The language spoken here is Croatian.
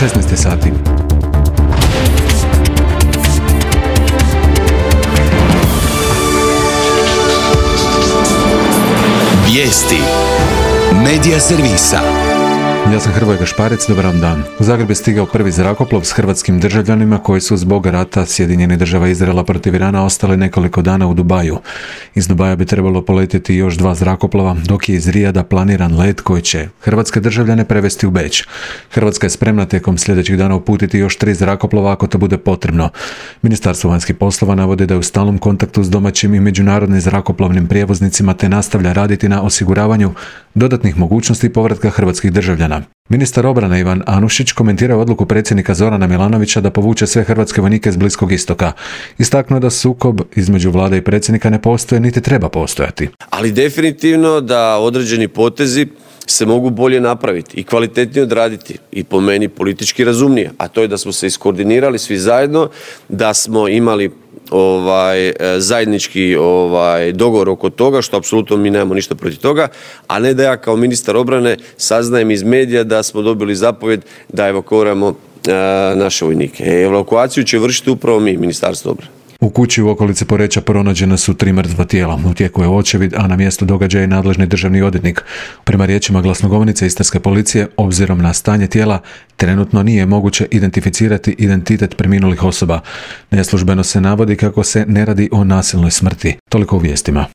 16 sati. Vijesti Medija servisa. Ja sam Hrvoje Gašparec, dobar vam dan. U Zagreb je stigao prvi zrakoplov s hrvatskim državljanima koji su zbog rata Sjedinjenih Država Izraela protiv Irana ostali nekoliko dana u Dubaju. Iz Dubaja bi trebalo poletjeti još 2 zrakoplova, dok je iz Rijada planiran let koji će hrvatske državljane prevesti u Beč. Hrvatska je spremna tijekom sljedećih dana uputiti još 3 zrakoplova ako to bude potrebno. Ministarstvo vanjskih poslova navodi da je u stalnom kontaktu s domaćim i međunarodnim zrakoplovnim prijevoznicima te nastavlja raditi na osiguravanju dodatnih mogućnosti povratka hrvatskih državljana. Ministar obrane Ivan Anušić komentirao odluku predsjednika Zorana Milanovića da povuče sve hrvatske vojnike s Bliskog istoka. Istaknuo da sukob između vlade i predsjednika ne postoje niti treba postojati. Ali definitivno da određeni potezi se mogu bolje napraviti i kvalitetnije odraditi i po meni politički razumnije, a to je da smo se iskoordinirali svi zajedno, da smo imali zajednički dogovor oko toga, što apsolutno mi nemamo ništa protiv toga, a ne da ja kao ministar obrane saznajem iz medija da smo dobili zapovjed da evakuiramo naše vojnike. Evakuaciju će vršiti upravo mi, Ministarstvo obrane. U kući u okolici Poreča pronađena su 3 mrtva tijela. U tijeku je očevid, a na mjestu događaja je nadležni državni odvjetnik. Prema riječima glasnogovornice istarske policije, obzirom na stanje tijela, trenutno nije moguće identificirati identitet preminulih osoba. Neslužbeno se navodi kako se ne radi o nasilnoj smrti. Toliko u vijestima.